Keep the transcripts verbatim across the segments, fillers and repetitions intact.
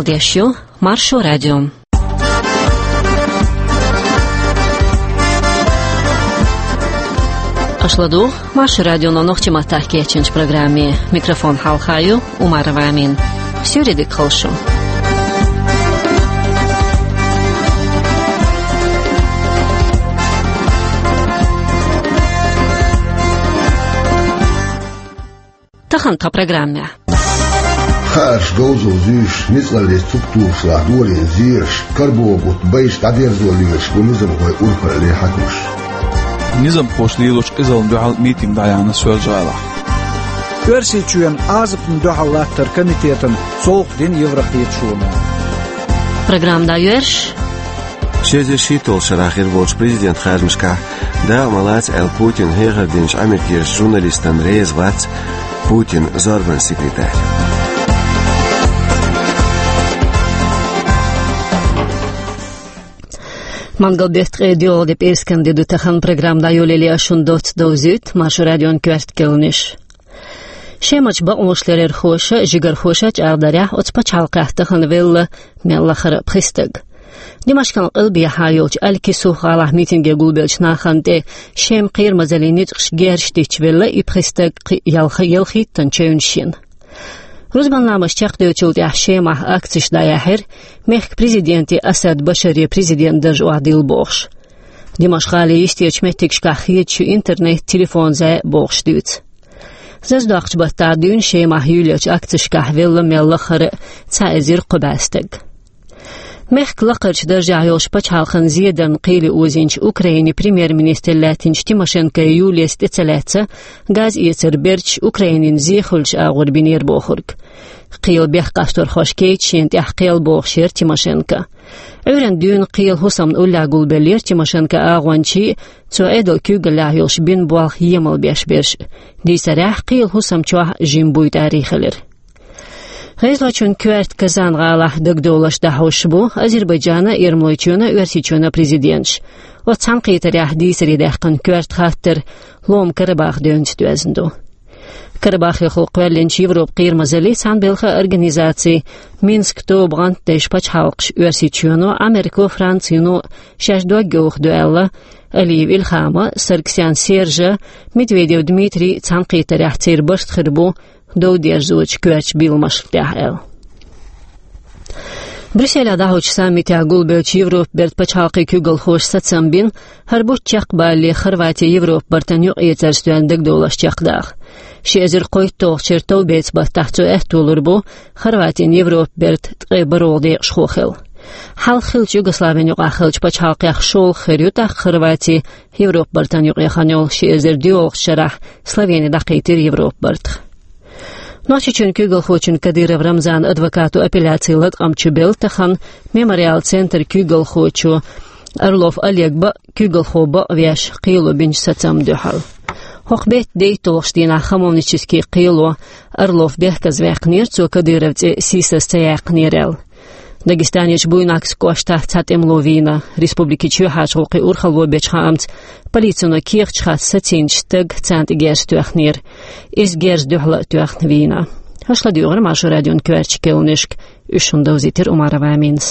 Деш ю Маршо радио. Аша ладугӀу Маршо радионо нохчийн маттахь кечйинчу программе. Микрофон хьалха ю Умарова Амина. Суьйре дика хуьлда шун. Тахана тхан программехь. Хаарш говзалла зуьйш, ницкъаллица цуьк тухуш лахь долийна зераш, карабо бутт байш дӀадерзо лелаш бу низамхой, урхаллин хьаькамаш. Низамхоша лелочу къизаллина дуьхьал митинг дӀаяьхьна Соьлжа-ГӀалахь. Оьрсийчоьнан Ӏазапна дуьхьал латтаран комитетана совгӀат дина Еврокхеташоно. Программа дӀайоьрзуш. Ши эзар шийтталгӀачу шарахь хир болчу президентан харжамашкахь дакъа ма лаца аьлла Путинна хьехар динчу Америкерчу журналистана реза вац Путинан зорбанан секретарь. Мангал-беттан ткъе доьалгӀа де, пӀераскан де ду тахана. Программа дӀайолале ас шуна доцца довзуьйту Маршо радион коьрта керланаш. Шемарчу бакъонашларъярхоша, жигархоша чӀагӀдарехь, оцу пачхьалкхехь тахана велла мел лахара а пхи стаг. Димашкан къилбехьа йолчу Аль-Кисуф гӀалахь митинге гулбеллачу нахана тӀе Шеман кхерамазаллин ницкъаша герзаш дитча велла и пхи стаг, кхин а ялх-, ялхиттанна чевнаш йина. Рузбан ламаз чекхдевллачул тӀаьхьа Шемахь акцеш дӀаяьхьира, мехкан президенте Асад Башаре президентан дарж охьадилла бохуш. Димашкъ-гӀалин йистерчу меттигашкахь хедаш ю интернет, телефон, зӀе а бохуш дуьйцу. Зазадоккхучу баттахь дуьйна Шемахь юьйлаеллачу акцешкахь велла мел лахара а цхьа эзар кхо бӀе стаг. Мехкан лакхарчу даржехь йолчу пачхьалкхан зедарна кхеле озийначу Украинин премьер-министр лаьттинчу Тимошенко Юлияс тӀе ца лаьцна, газэцар берташ Украинина зе хуьлучу агӀор бинера бохург. Кхелан бехккъасторхоша кхечу шена тӀехь кхел бохуш яра Тимошенко. Ӏуьйранна дуьйна кхелан хӀусамна уллехь гулбеллера Тимошенкон агӀончий а, цо Ӏедалан куьйгаллехь йолуш бина болх емал беш берш а. Дийцарехь, кхелан хӀусам чохь жима буй тӀарий хилира. ГӀезалойчун коьрта Казан-гӀалахь дагадовларш дӀахьош бу Азербайджанан а, Ермолойчоьнан а, Оьрсийчоьнан а президенташ. Оцу цхьаьнакхетарехь дийцаре даьккхина коьрта хаттар лома Карабах девнца доьзна ду. Карабахехула кхоьллинчу Европан кхерамазаллин цхьаьнабелхан организацин Минскан тоба гӀантдеш пачхьалкхаш Оьрсийчоьно, Америко, Францино шаьш дог йохадо аьлла, Алиев Илхьама, Саргсян Сержа, Медведев Дмитрий цхьаьнакхетарехь церан барт хир бу дов дерзочу коьртачу биламашна тӀехь аьлла. Брюсселехь дӀахьочу саммитехь гулбеллачу Европан бертан пачхьалкхийн куьйгалхоша сацам бина, хӀара бутт чекхбалале Хорвати Европан бартан юкъаэцар стоьйна дагадовларш чекхдаха. Ши эзар кхойтталгӀачу шеран товбеца баттахь цо аьтто лур бу Хорватина Европан бертан ткъе бархӀалгӀа декъашхо хила. Хьалха хиллачу Югославин юкъахь хиллачу пачхьалкхех шолгӀа хир ю тӀаккха Хорвати Европан бартан юкъахь хан йолу. Ши эзар доьалгӀачу шарахь Словени дӀакхийтира Европан бартах. Нохчийчоьнан куьйгалхочун Кадыров Рамзанан адвокато апелляцин латкъам чу белла тахана Мемориал центран куьйгалхочо Орлов Олег бан а, куьйгалхо бан а веш, кхело бинчу сацамна дуьхьал. ХӀокху беттан дейтталгӀачу дийнахь хамовнически кхело Орлов бехказаваьккхинера, цо Кадыровн цӀе сийсаз ца яьккхинера аьлла. Дагестанерчу Буйнакскан кӀоштахь цхьа тӀемало вийна. Республикин чоьхьарчу гӀуллакхийн урхалло бечу хаамца, полицино кехаташ хатта сацийначу стага царна тӀе герз тоьхнера. Иза герзан дуьхьал а тоьхна вийна. Аша ладуьйгӀира Маршо радион коьртачу керланашка, уьш шуна довзийтира Умарова Аминас.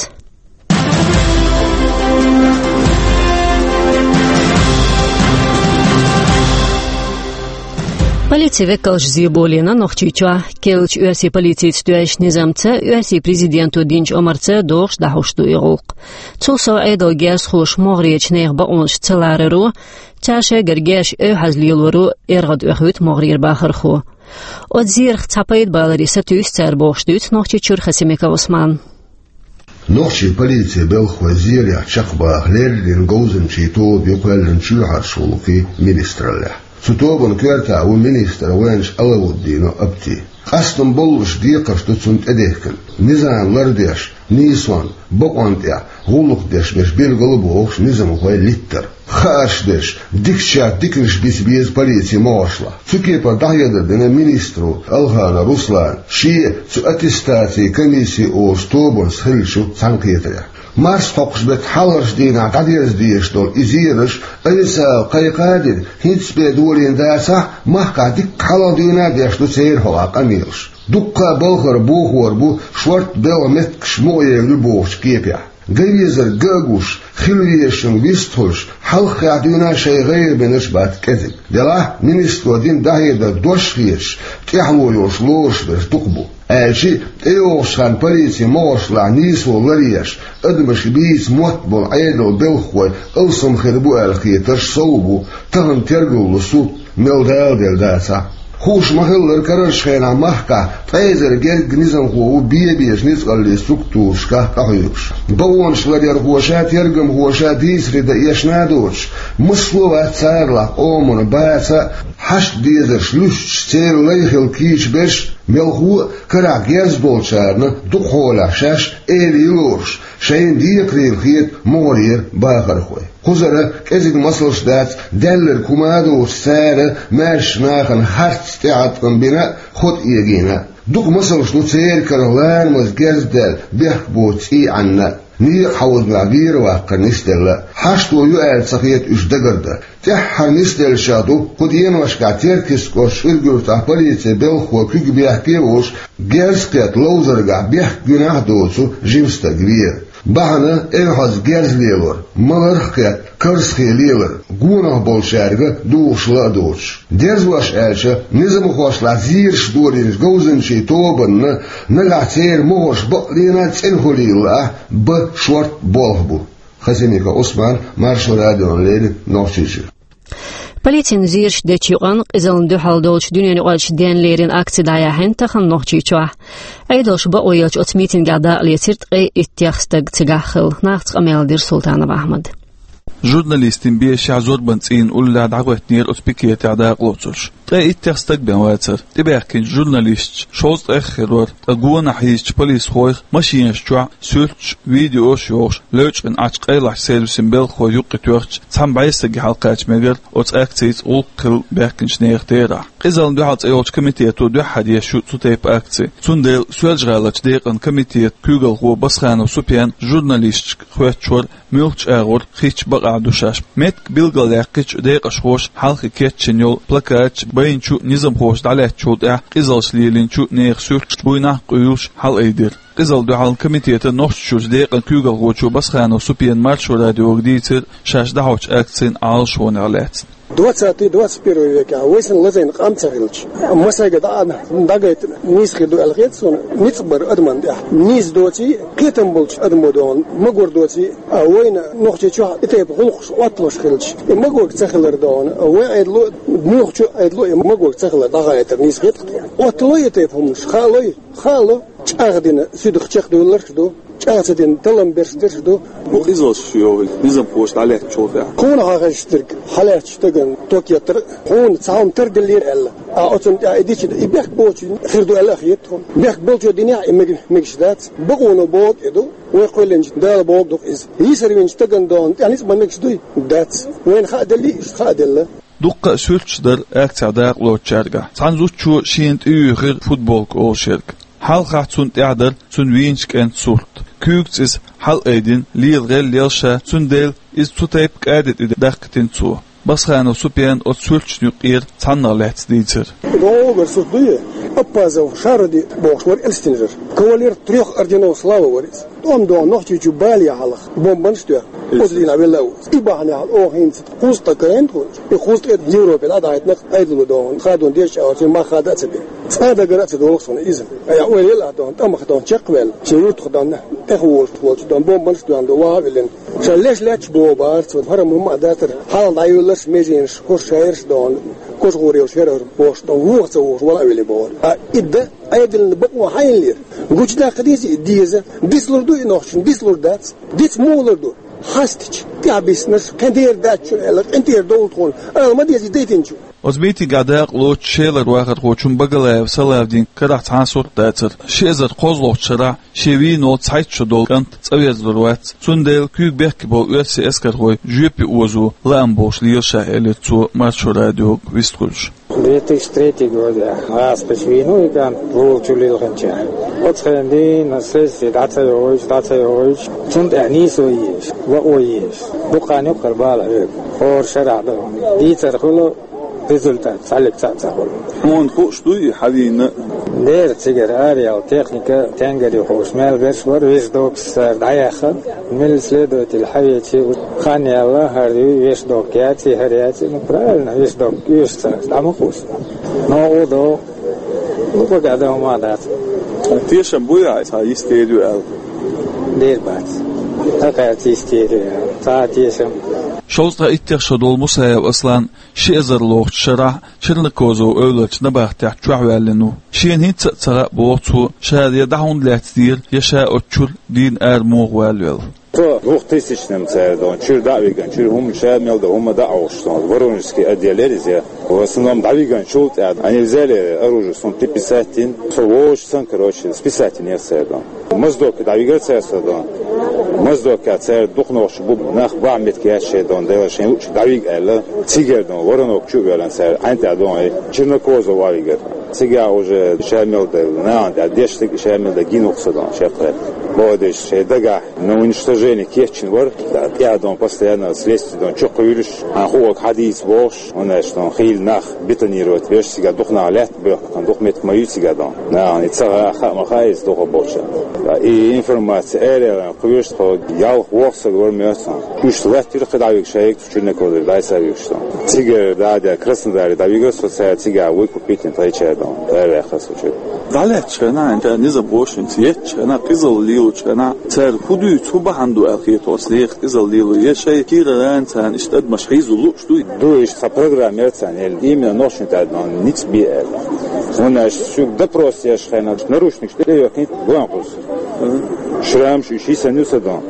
Полицин векалша зеболийна Нохчийчохь керлачу оьрсийн полицица тоьшначу низамца оьрсийн президенто динчу омарца догӀуш дӀахьуш ду и гӀуллакх. Цул сов Ӏедалан герзахоша могӀарерчу нехан бакъонаш ца лараро, цара шайгара герзаш эвхьаза лелоро эргӀад оьхуьйту могӀарера бахархо. Оцу зерах цхьа пайда баларе сатуьйсу цара бохуш дуьйцу Нохчийчуьра Хасимиков Ӏусмана. Нохчийн полицин белхахой зерехь чекхбаха леррина говзанчийн тоба ю кхоьллина чоьхьарчу гӀуллакхийн министраллехь. Цу тобанан коьртехь ву министр вайначу Алауддинов Апти. Къастам боллуш декхарш ду цунна тӀедехкина. Низам лардеш, нийсонан, бакъонан тӀехь гӀуллакх деш берш билгал а бохуш низамхой литтар. Хаарш дерш, дикачех диканаш бица беза полицин могӀаршлахь. Цу кепара дӀахьедар дина министро Алханов Руслана шен цу аттестацин комисси олучу тобанца хиллачу цхьаьнакхетарехь. Марсхьокху беттан хьалхарчу дийнахь дӀадерза дезаш долу и зераш официалан кхайкха а дина, хӀинцца бен долийна дацахь а, махкахь дикка хьалха дуьйна а деш ду церан хьокъехь къамелаш. Дуккха а балхара бохор бу шортта белхан меттигаш мукъаерг ю бохучу кепехь. Ган везарг ган а гуш, хила везачунна вистхуьлуш, хьалххе дуьйна шайн гӀайгӀанаш бац кӀезиг. Делахь а министро дина дӀахьедар дош а хеташ, тӀаьхьало йолуш лоруш берш дукха бу. Аьлча а, тӀейогӀучу хенахь полицин могӀаршлахь нийсо ларъеш, адамаш бийца мотт болу Ӏедалан белхахой алсам хир бу аьлла хетарш сов бу, тахана тергалло суд мел даладелла дацахь а. Хууш ма-хиллара, карарчу хенахь махкахь ткъе эзар гергга низамхо ву бен-бен ницкъаллин структурашкахь къахьоьгуш. Бакъонаш ларъярхоша, тергамхоша дийцаре дан эшна а доцуш, массо а вац царалахь къомана баца а, хьашт дезарш луьстуш, церан лай хила кийча берш а, мелхо а, карахь герз долчарна дукха хьолахь шаьш эла лоруш, шайна декхарийлахь хета могӀарера бахархой. Кхузара кӀезиг масалш дац, даьлларг хӀума а доцуш, цара маьршачу нахана харц тӀеӀаткъам бина а, хӀоттам эгийна а. Дукха масалш ду церан карах ларамаза герз даьлла, бехк боцу цӀий Ӏанна а, некъан хьовзамехь вер ваккхар нисделла а. Хьашто ю аьлла ца хета уьш дагардан. ТӀаьххьара нисделлачех ду кху деношкахь Теркйист кӀоштан Уьргуьртахь полицин белхахой куьг бехке а волуш, герз кхетта ловзаргахь бехк гинехь а доцу жима стаг вер. Бахьана — эвхьаза герз лелор, маларх а кхетта карзахе лелар, гонах болчаьрга духуш ла а доцуш. Дерзош аьлча, низамхошлахь зераш долийначу говзанчийн тобанна нагахь церан могӀарш бакъ лена а цӀена хуьлийла лаахь, бан шортта болх бу. Хасимиков Ӏусман, Маршо радиона леррина, Нохчийчуьра. Полицина зераш дечу юкъанна къизаллина дуьхьал долчу дуьненаюкъарчу денна леррина акци дӀаяьхьна тахана Нохчийчохь. Ӏедалша бакъо елча оцу митингехь дакъалецира ткъе иттех стаг, цигахь хилла. Нахаца къамел дира Султанов Ахьмада. Журналистийн бешехь зорбанан цӀийнан уллехь дӀахӀоьттинера оцу пикетехь дакъалоцурш. Ткъе иттех стаг бен вацара. ТӀебаьхкинчу журналисташа шовзткъех хир вара, ткъа гонах хьийзачу полисхойх машинаш чохь суьрташ, видеош йохуш, лечкъина Ӏачу къайлахчу сервисийн белхахой юккъе тоьхча, цхьана бӀе стаге хьалакхача мегара оцу акцица гӀуллакх хилла баьхкинчу нехан терахь. Къизаллина дуьхьал цӀе йолчу комитето дуьххьара еш ю цу тайпа акци. Цундела Соьлжа-ГӀаларчу декъан комитетан куьйгалхо Басханов Супьян журналисташка хоьттуш вара, муьлхачу агӀор хиттачу бакъахь ду шаьш. Меттиг билгалъяьккхича, декъашхоша хьалхе кечйина йолу плакаташ байначу а, низамхоша дӀалаьцначул тӀаьхьа къизаллаш лелийначу нехан суьрташ буйнахь а къуьйлуш хьалаайдира. Къизаллина дуьхьал комитетан Нохчийчуьрчу декъан куьйгалхочо Басханов Супьяна Маршо радиога дийцира шаьш дӀахьочу акцин Ӏалашонех лаьцна. Двадцатый, двадцать первый векехь вай санна лазийна къам ца хилча, массаьрга дӀа а дӀагайта нийса хир ду аьлла хета суна, ницкъ бар адамна тӀехь. Нийса доций, кхетам болчу адамо дохьуна, магор доций, а вайна Нохчийчохь и тайпа гӀуллакхаш отталуш хилча, и магорг ца хилар дохьуна, вайн Ӏедало а, муьлххачу Ӏедало а и магорг ца хилар дӀахаийтар нийса хета тхуна. Оттало и тайпа хӀуманаш, хаало, хаало, чӀагӀдина суьдах чекхдуьйлурш а ду. ЧӀагӀ ца дина таллам берш дерш ду. Бу къизаллаш йохуьйту низамхоша дӀалаьцначул тӀаьхьа. Кхунах хьахезча дерг, хьалаьцначу стагана ток еттара, хьуна цхьа хӀума тардиллира аьлла. А оцунна тӀехь и дича, и бехк боцуш хир ду аьлла а хета тхуна. Бехк болчо динехь, и мег-, мегаш дац. Бакъоно бохург и ду. Вай кхоьллинчу Дала бохург ду-кх иза. Йийсар винчу стагана дохьуна тӀехь ницкъ ма мегаш дуй? Дац. Вайна хаа деллий, иштта хаа делла. Дуккха а суьрташ дара акцехь дакъалоцучаьргахь. Цхьана зудчо шена тӀеюьйхира футболка олуш ерг. Хьалхахь цунна тӀехь дара цуьнан вийначу кӀентан сурт. Куьйгаца иза хьалаайдина, лела гӀелла елла ша, цундела иза цу тайпа кӀади тӀе дахкийтина цо. Басханов Супьяна оцу суьрташна юккъера цхьаннах лаьцна дийцира. ДогӀугара сурт дуй? Аппазов Шаруди бохуш вара эльстинчуьра. Кавалер трёх орденов Славы вара иза. ТӀом дохьуна Нохчийчу бале хьалха бомбанаш а тоьхна, оцу дийнахь велла а ву. И бахьанехь оха хӀинца кхузткъа карийна тхуна. И кхузткъе Европе дӀадахьийтина Ӏедало дохьуна, хадон дезачу агӀор цуьнан мах хада а ца бина. Цкъа а дагар а ца долуш суна иза. Айхьа ойла елахь дохьуна, тӀамах дохьуна чекхваьлла, шен юьртах дохьуна, тӀехволуш волчу дохьуна бомбанаш а тоьхна, ваха а виллина. Ша леш лаьтташ боху бара цо, хӀара хӀума а дацара, хьалха дӀайоьлларш меженаш, хӀорш шайраш дохьуна, кожагӀур йолуш яра хӀара бохуш дохьуна, вуха ца вухуш, вала а вели бохура. А и дан Ӏедална бакъо хьайна лира? Гучудаккха дезий? Деза. Дицлур ду и нохчашна? Дицлур дац. Диц муха лур ду? Хьастича, тӀаьхьабиссинарш, кхин дера дац шуна аьлла, къинтӀера довла тхуна, ала ма дезий дайтинчу. Оцу митингехь дакъалоцучу Шелара вахархочун Багалаев Салавдин карахь цхьа а сурт дацара. Ши эзар кхозлагӀчу шарахь шен вийна волу цхьайтта шо долу кӀант цӀа верзалур вац, цундела куьйга бехке болу оьрсийн эскархой жоьпе озо лаам болуш лела ша, элира цо Маршо радиога вистхуьлуш. Две тысячи третий годехь гӀазкхича вийна ву и кӀант, Вовчу лилхинчехь. Оцу хенахь дийна сесси дӀа ца йогӀуьйтуш, дӀа ца йогӀуьйтуш, цунна тӀехь нийсо езаш, вао езаш. Дукха хан ю-кх хӀара бала хьоьгу. ХӀора шарахь ду. Дийцар хуьлу, результат цхьаллиг цхьаъ ца хуьлу. Хьуна хууш дуй и хьан вийна? Дера цигара араяьлла техника, тенгари ховш мел берш вара, вешдокаш цара дӀаяьхна. Милли следователь хьавечи, хан яьлла, хӀара ю вешдок яций, хӀара яций, ну, правильно, вешдок оьшу цара, дӀа ма кхувса. Но гӀо до, ну, бага да ма дац. Тешам буй, ай, цхьа йистера ю аьлла? Дера бац. ХӀа, кхаьрца йистера ю аьлла. Цхьа тешам. Шовзткъа иттех шо долу Мусаев Аслан ши эзар лохучу шарахь Чернокозово эвларчу набахтехь чохь ваьллина ву. Шена хӀинца а ца хаьа, боху цо, ша я дӀа хӀунда лаьцнера, я ша оцу чуьра дийна ара муха валавелла. Со двухтысячным цара дон, чуьра дӀа а вигна, чуьра хӀума ша мел дан, хӀума дӀа а Ӏохуш сон, Воронежский отдел яра иза. В основном дӀавигначул тӀаьхьа, они взяли оружие, сум приписать дина, со вовшашца, короче, списать динера цара дон. Моздоке дӀавигара цара со дон. Моздокехь цара дукха нохчий бу, нах бахьа меттиг яц шайн дон, дела шайн луучу дӀавига аьлла. Цигара дон, Воронок чу а воьллина цара, хьайн тӀехь дон, Чернокозово а вигара. Цигахь уже ша мел дан, нахана тӀехь дешниг ша мел дан гина ву со дон, шекхара. Боху деш, шайн дагахь, на уничтожение кечйина вара, тӀехь дон, постоянно следствие дон, чу кхуьйлуш, хьан хуург хьадийца бохуш, хӀунда аьлча дон, хийла нах бетонировать беш, цигахь дукха нах лаьтта боьхкина, дукха меттиг ма ю цигахь дон. Нахана и ца хаьа, хаа ма хаьа иза дукха болчарна. И информация ара яьлла, кхуьйсу тхо ялх-ворхӀ саг вара моьтту. Уьш латтийра кхин дӀавигаш, шайга цу Чернокозово дӀасавигаш дон. Цигара дӀа а даьлла, Краснодаре дӀавигара со, цара цигахь выкупить дина тхайчара дон. Ара ваьккхира со чуьра. ДӀалаьцначу хенахь, хӀинца низам бохучу хенахь, еттачу хенахь, къизалла лелочу хенахь, цара хӀун дуьйцу, хӀун бахьана ду аьлла хета хьуна, нехан къизалла лело, я шайн кийрара царна иштта адамаш хьийзо лууш дуй? Ду, иштта цхьа программа яра царна, элли, именно нохчийн тӀаьхьа ницкъ бе аьлла. ХӀунда аьлча шуьга допрос еш хенахь, наручникаш тӀе йохкийта, гон кхуза. Шрамаш уьш йисина ю сан дон.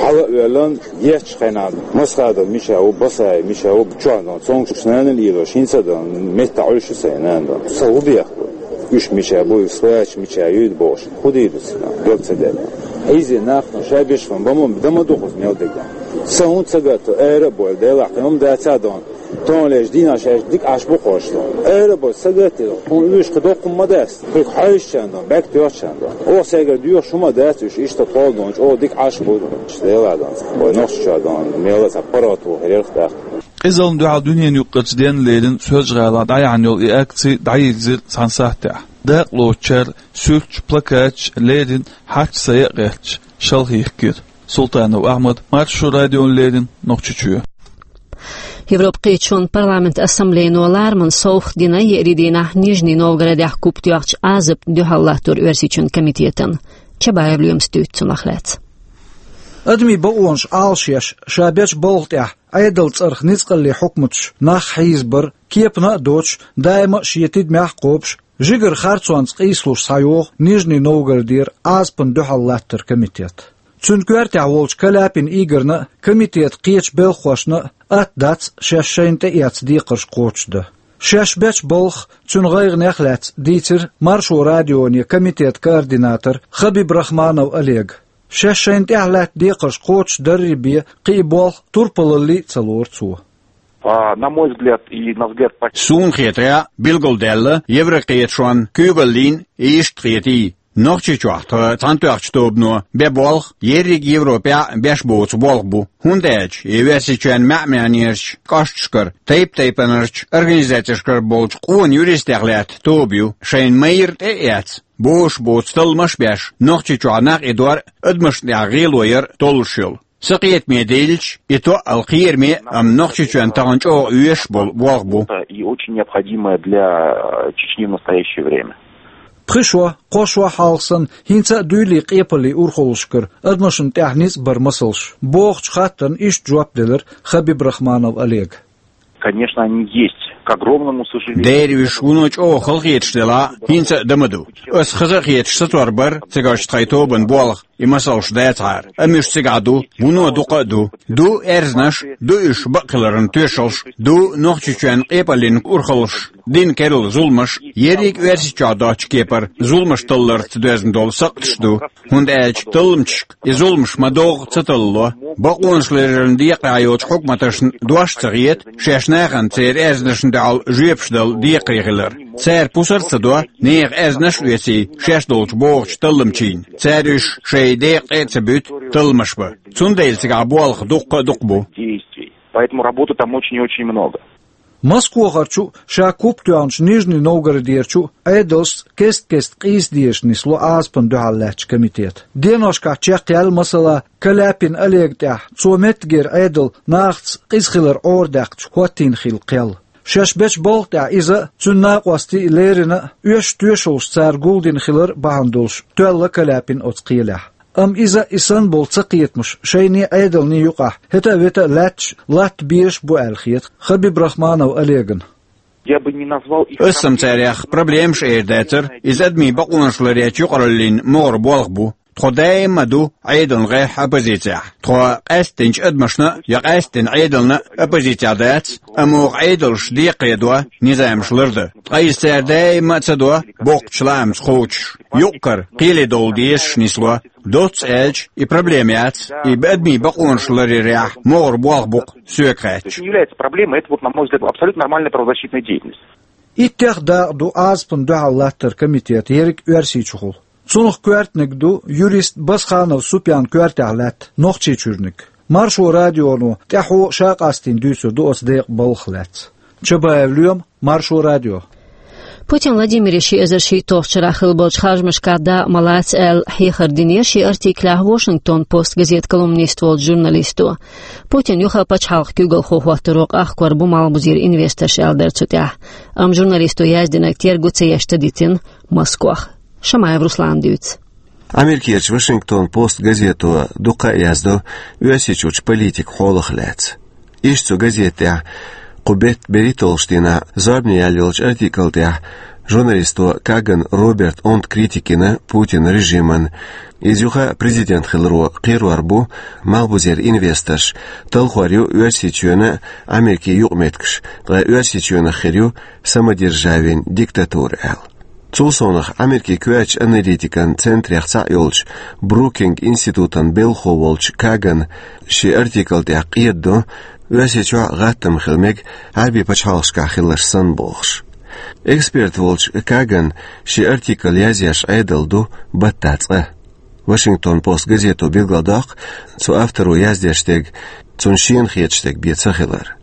Хьала а воьллина, еттачу хенахь, Масхадов мича ву, Басаев мича ву, чохь дон, цомгуш нана лелош, хӀинца дон, меттахь Ӏуьллуш ю сайн нана дон. Сан хӀун бехк бу? Уьш мича бу, уьш свояч мича юй бохуш. ХӀун дийр ду цига? Дог ца дерг. Хьийзий нах, ша беш ван, бан ма, дан ма ду кхуза мел дерг. Сан хӀун ца гатто, ара а бойла, Делахь, кхин хӀума дацахь дон. Тонлеш дийнахь шаьш дика Ӏаш бу кхош дон. Ара а бойла, ца гатто, хӀун уьш кхин доккха хӀума ма дац. Кхуьг хьаьжча дон, баьг тоьхча дон. Оха цаьргара доьхуш хӀума дац уьш, иштта кхол дон, чӀогӀа дика Ӏаш бу дон. Делахь дон. Вай нохча чохь дон, мел а цхьа паргӀато хир яра тӀаккха. Къизаллина дуьхьал дуьненаюкъарчу денна леррина Соьлжа-ГӀалахь дӀаяьхьна йолу и акци дӀайирзира цхьана сахьтехь. Дакъалоцучара суьрташ, плакаташ леррина, хьаьрча сай а гӀерташ, шалха йихкира. Султанов Ахьмад, Маршо радиона леррина, Нохчийчоь. Европа кхеташонан парламентан ассамблейно лараман совгӀат дина еарин дийнахь Нижний Новгородехь куп тоьхначу Ӏазапна дуьхьал латтор Оьрсийчоьнан комитетана. Чабаев Лоьмас дуьйцу цунах лаьцна. Адамийн бакъонаш Ӏалашъеш, ша бечу балха тӀехь Ӏедалан цӀарах ницкъаллийн хьукматаш нах хьийзабар, кепана а доцуш, даима а шен тидамехь а кхобуш, жигара харцонца къийсалуш схьайогӀу Нижний Новгородера Ӏазапна дуьхьал латтар комитет. Цуьнан коьртехь волчу Каляпин Игорна а, комитетан кхечу белхахошна а атта дац шаьш шайна тӀеэцна декхарш кхочушдан. Шаьш бечу балхах, цуьнан гӀайгӀанех а лаьцна дийцира Маршо радионе комитетан координатора Хабибрахманов Олега. Шаьш шайна тӀехь лаьтта декхарш кхочушдаррий бен кхин а болх турпалаллий а ца лору цо. А, на мой взгляд и на взгляд пак- Суна хетарехь, билгалдаьлла еврокхеташонан куьйгаллин а иштта хетий. Нохчийчохь тхан Цхьаьнатоьхначу тобано бен болх ерриг Европехь а беш боцу болх бу, хӀунда аьлча и Оьрсийчоьнан маьӀ-маьӀнерчу кӀошташкара, тайп-тайпанарчу организацешкара болчу къона юристех лаьтта тоба ю, шайна майра тӀе а эцна, бозуш боцу талламаш а беш, Нохчийчохь нах идор а, адамашна тӀехь гӀело яр а толлуш йолу. Сан кхетаме диллича, и тоъал кхераме, амма Нохчийчоьнна тахана чӀогӀа оьшуш болу болх бу. И очень необходимое для, э, Чечни в настоящее время. Пхи шо, кхо шо хьалха санна, хӀинца а дуьйлий къепаллин урхаллашкара адамашна тӀехь ницкъ бар масалш, бохучу хаттарна иштта жоп делира Хабибрахманов Олега. Конечно, они есть. К огромному сожалению. Дера уьш вуно чӀогӀа халахеташ делахь а, хӀинца а дан ма ду. Ас хаза а хеташ сацор бара цигарчу тхайн тобанан болх, и масалш дацахьара. Амма уьш цигахь ду, вуно дукха а ду. Ду аьрзнаш, ду уьш бакъхиларан тоьшаллаш, ду Нохчийчоьнан къепаллин урхаллаш, дина керла зуламаш, ерриг Оьрсийчохь доцчу кепара зуламаш талларца доьзна долу сакхташ ду. ХӀунда аьлча талламчашка и зуламаш ма-доггӀа ца таллало. Бакъонаш леррина декъахь йолчу хьукматашна дош ца хета, шаьш нахана церан аьрзнашна дуьхьал жоьпаш дала декхаре хилар. Цара пусар а ца до, нехан аьрзнаш а оьций, шаьш долчу богӀучу талламчийн. Цара уьш шайн декъа тӀе а ца буьту, талламаш бан. Цундела цигахь болх дуккха а дукха бу. Действий. Поэтому работы там очень и очень много. Москвахарчу, ша куп тоьхначу Нижний Новгородерчу Ӏедалшца кест-кеста къийса дезаш нисло Ӏазапана дуьхьал лаьттачу комитета. Деношкахь чекхъяьлла, масала, Каляпин Олега тӀехь, цо меттигера Ӏедал нахаца къиза хилар Ӏорадаьккхича хӀоттийна хилла кхел. Шаьш бечу балха тӀехь иза а, цуьнан накъостий а леррина а, оьшуш-тоьшаллаш цара гулдина хилар бахьана долуш тоьлла Каляпин оцу кхелехь. Амма иза а, и санна болу цакхетамаш шайний Ӏедалний юкъахь хӀета а вета а лаьтташ латта безаш а бу аьлла хета Хабибрахманов Олегана. Я бы не назвал их... Ас-м царех проблемаш эр дацара, иза адамийн бакъонаш ларъечу юкъараллин могӀара болх бу. Тхо даима а ду Ӏедална гӀеххьа оппозицехь. Тхо къаьсттинчу адамашна а, я къаьсттина Ӏедална а оппозицехь дац, амма оха Ӏедалш декхаредо, низамаш лардан. Ткъа иза цара даима а ца до, боккхачу лаамца кхочуш. Юкъ-кара кхеле довла дезаш нисло. Доцца аьлча, и проблема яц, и адамийн бакъонаш ларъярехь могӀара болх бу-кх соьга хаьттича. Это не является проблемой, это вот, на мой взгляд, абсолютно нормальная правозащитная деятельность. Иттех дакъа ду Ӏазапана дуьхьал латтар комитета ерриг Оьрсийчухула. Цунах коьртаниг ду юрист Басханов Супьян коьртехь лаьтта Нохчийчуьрниг. Маршо радионо тӀаьхьо а ша къастийна дуьйцур ду оцу декъан балхах лаьцна. Чабаев Лоьма, Маршо радио. Путин Владимира ши эзар шийтталгӀачу шарахь хилла болчу харжамашкахь дакъа ма лаца аьлла, хьехар динера шен артиклехь Вашингтон Пост газетан колумнист волчу журналисто. Путин юха а пачхьалкхан куьйгалхо хӀоттаро къахкор бу Малхбузера инвесторш аьлла дара цу тӀехь. Амма журналисто яздинарг терго ца еш тадитина Москох. Шамаев Руслана дуьйцу. Америкерчу Вашингтон Пост газето дуккха а яздо Оьрсийчуьрчу политикан хьолах лаьцна. Иштта цу газета тӀехь кху беттан берхӀитталгӀачу дийнахь зорбане яьлла йолчу артикла тӀехь журналисто Каган Роберта онда критика йина Путинан режиман. Иза юха а президент хиларо кхерор бу Малхбузера инвесторш, талхор ю Оьрсийчоьнан а, Америкин юкъаметтигаш, ткъа Оьрсийчоьнах хир ю самодержавин диктатура аьлла. Цул совнаха Америкин коьртачу аналитикан центрех цхьаъ йолчу Брукинг институтан белхахо волчу Кагана шен артикла тӀехь къедадо, Оьрсийчохь а гӀаттам хила мега Ӏаьрбийн пачхьалкхашкахь хилларш санна бохуш. Эксперт волчу Кагана шен артикл язъеш Ӏедал ду баттахь цкъа. Вашингтон Пост газето билгалдоккху цу авторо яздеш дерг цунна шена хеташ дерг бен ца хилар.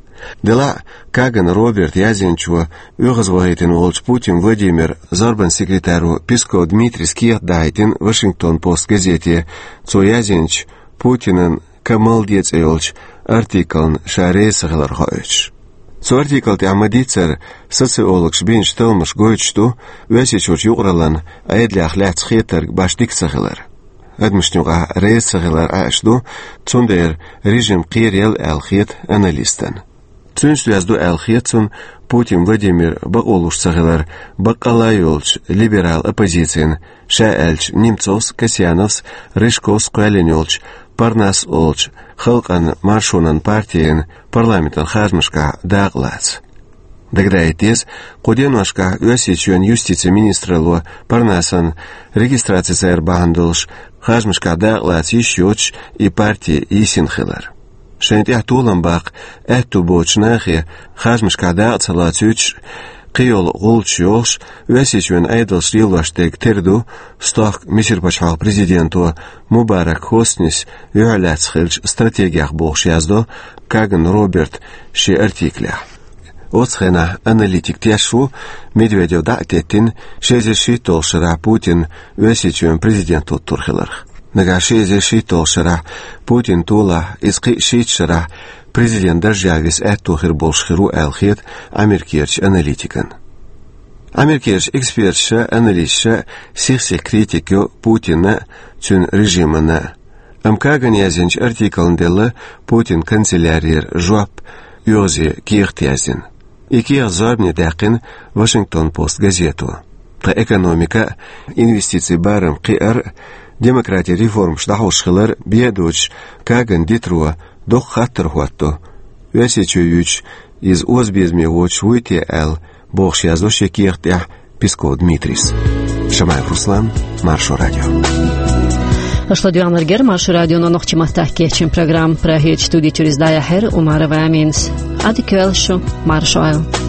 Делахь а, Каган Роберта язйинчо оьгӀазвахийтина волчу Путин Владимиран зорбанан секретаро Песков Дмитрийс кехат дахьийтина Вашингтон Пост газете, цо язйинчу Путинан «Ка мел де» цӀе йолчу артиклна ша реза ца хилар хоуьйтуш. Цу артикла тӀехь ма-дийццара социологаша бинчу талламаша гойтуш ду Оьрсийчуьрчу юкъараллин Ӏедалех лаьцна хетарг башха дика ца хилар. Адамашна юкъахь реза ца хилар Ӏаьаш ду, цундела режим кхераелла аьлла хета аналистана. Цуьнца доьзна ду аьлла хета цунна Путин Владимир бакъо луш ца хилар баккъалла а йолчу либерал оппозицин, ша аьлча, Немцовс, Касьяновс, Рыжковс кхоьллина йолчу Парнас олучу халкъан маршонан партин парламентан харжамашкахь дакъа лаца. Дагадаийта деза, кху деношкахь Оьрсийчоьнан юстицин министралло Парнасан регистраци ца яр бахьана долуш харжамашкахь дакъа лаца йиш йоцуш и парти йисина хилар. Шайна тӀехь толам баккха аьтту боцучу нахе харжамашкахь дакъа ца лоцуьйтуш, кхийолу гӀулчаш йохуш, Оьрсийчоьнан Ӏедалша лелош дерг тера ду, стохка Мисар пачхьалкхан президенто Мубарак Хоснис юьхьлаьцна хиллачу стратегех бохуш яздо Каган Роберта шен артиклехь. Оцу хенахь аналитик тешаш ву, Медведев дӀа а теттина, ши эзар шийтталгӀачу шарахь Путин Оьрсийчоьнан президент хӀуттур хиларх. Нагахь ши эзар шийтталгӀачу шарахь Путин толахь, иза кхин а шийтта шарахь президент даржехь виса аьтту хир болуш хир ву аьлла хета Америкерчу аналитикан. Америкерчу эксперташа, аналисташа сих-сиха критика йо Путинна а, цуьнан режимана а. Амма Каган язйинчу артиклна делла Путинан канцелярера жоп, оьгӀазе кехат яздина. И кехат зорбане даьккхина Вашингтон Пост газето. Тхан экономика а, инвестицийн барам кхиар а, демократин реформаш дӀахьош хилар бен а доцуш, Каган дитаро доккха хаттар хӀоттадо. Оьрсийчоь юьйцуш, иза оза безаме воцуш вуй те аьлла, бохуш яздо шен кехат тӀехь Песков Дмитрийс. Шамаев Руслан, Маршо радио. Аша ладоьгӀнарг яра Маршо радионо нохчийн маттахь кечйина программа. Прагерчу студи чуьра иза дӀаяьхьира Умарова Аминас. Ӏадика йойла шу, марша Ӏойла.